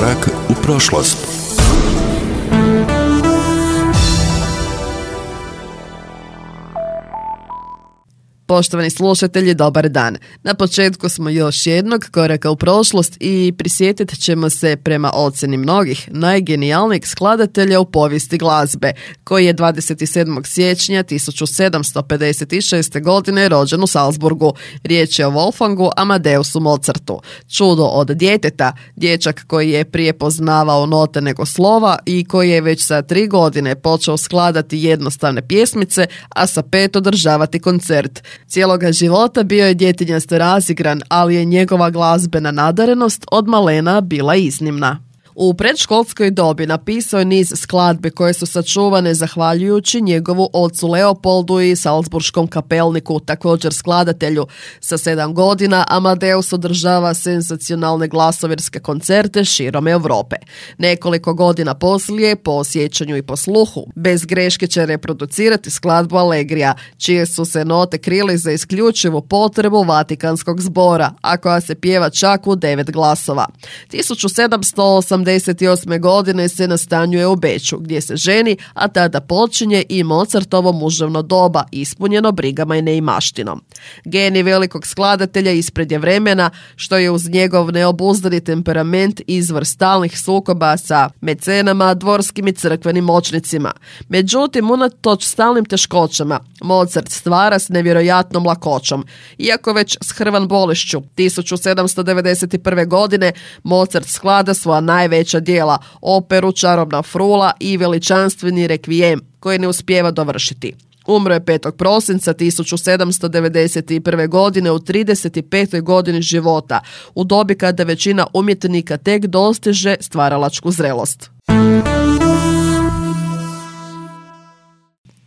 Korak u prošlost. Poštovani slušatelji, dobar dan. Na početku smo još jednog koraka u prošlost i prisjetit ćemo se, prema ocjeni mnogih, najgenijalnijeg skladatelja u povijesti glazbe, koji je 27. siječnja 1756. godine rođen u Salzburgu. Riječ je o Wolfgangu Amadeusu Mozartu. Čudo od djeteta, dječak koji je prije poznavao note nego slova i koji je već sa 3 godine počeo skladati jednostavne pjesmice, a sa 5 održavati koncert. Cijeloga života bio je djetinjasto razigran, ali je njegova glazbena nadarenost od malena bila iznimna. U predškolskoj dobi napisao je niz skladbi koje su sačuvane zahvaljujući njegovu ocu Leopoldu i salzburškom kapelniku, također skladatelju. Sa 7 godina Amadeus održava senzacionalne glasovirske koncerte širom Europe. Nekoliko godina poslije, po sjećanju i po sluhu, bez greške će reproducirati skladbu Allegrija, čije su se note krili za isključivu potrebu Vatikanskog zbora, a koja se pjeva čak u 9 glasova. 1788. godine se nastanjuje u Beču, gdje se ženi, a tada počinje i Mozartovo muževno doba, ispunjeno brigama i neimaštinom. Genij velikog skladatelja ispred je vremena, što je uz njegov neobuzdani temperament izvor stalnih sukoba sa mecenama, dvorskim i crkvenim moćnicima. Međutim, unatoč stalnim teškoćama, Mozart stvara s nevjerojatnom lakoćom. Iako već s hrvan bolešću, 1791. godine Mozart sklada svoja najveća djela, operu Čarobna frula i veličanstveni rekvijem, koji ne uspijeva dovršiti. Umro je 5. prosinca 1791. godine u 35. godini života, u dobi kada većina umjetnika tek dostiže stvaralačku zrelost.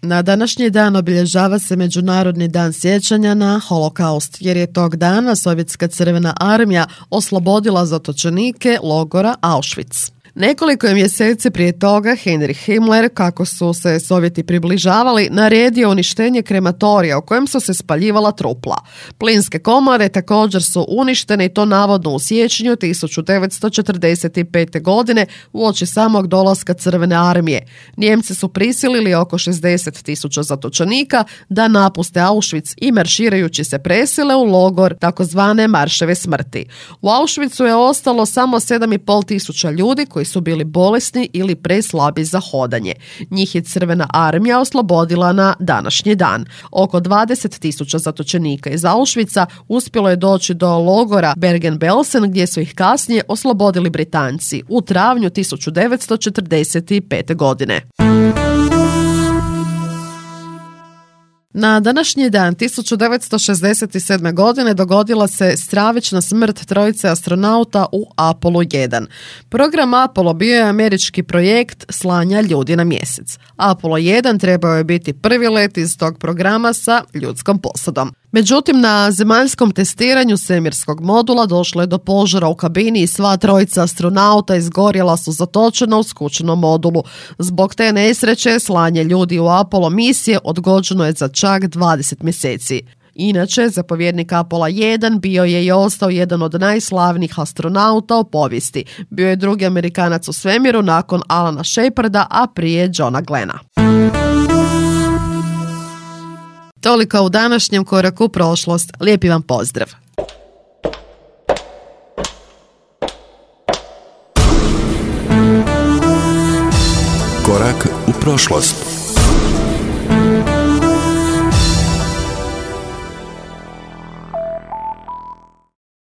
Na današnji dan obilježava se Međunarodni dan sjećanja na Holokaust, jer je tog dana Sovjetska crvena armija oslobodila zatočenike logora Auschwitz. Nekoliko je mjeseci prije toga Heinrich Himmler, kako su se Sovjeti približavali, naredio uništenje krematorija u kojem su se spaljivala trupla. Plinske komore također su uništene i to navodno u siječnju 1945. godine uoči samog dolaska Crvene armije. Njemci su prisilili oko 60.000 zatočenika da napuste Auschwitz i marširajući se presile u logor takozvane marševe smrti. U Auschwitzu je ostalo samo 7.500 ljudi koji su bili bolesni ili preslabi za hodanje. Njih je Crvena armija oslobodila na današnji dan. Oko 20.000 zatočenika iz Auschwitza uspjelo je doći do logora Bergen-Belsen, gdje su ih kasnije oslobodili Britanci u travnju 1945. godine. Na današnji dan 1967. godine dogodila se stravična smrt trojice astronauta u Apollo 1. Program Apollo bio je američki projekt slanja ljudi na mjesec. Apollo 1 trebao je biti prvi let iz tog programa sa ljudskom posadom. Međutim, na zemaljskom testiranju svemirskog modula došlo je do požara u kabini i sva trojica astronauta izgorjela su zatočena u skučenom modulu. Zbog te nesreće slanje ljudi u Apollo misije odgođeno je za čak 20 mjeseci. Inače, zapovjednik Apollo 1 bio je i ostao jedan od najslavnijih astronauta u povijesti. Bio je drugi Amerikanac u svemiru nakon Alana Sheparda, a prije Johna Glena. Toliko u današnjem koraku u prošlost. Lijepi vam pozdrav. Korak u prošlost.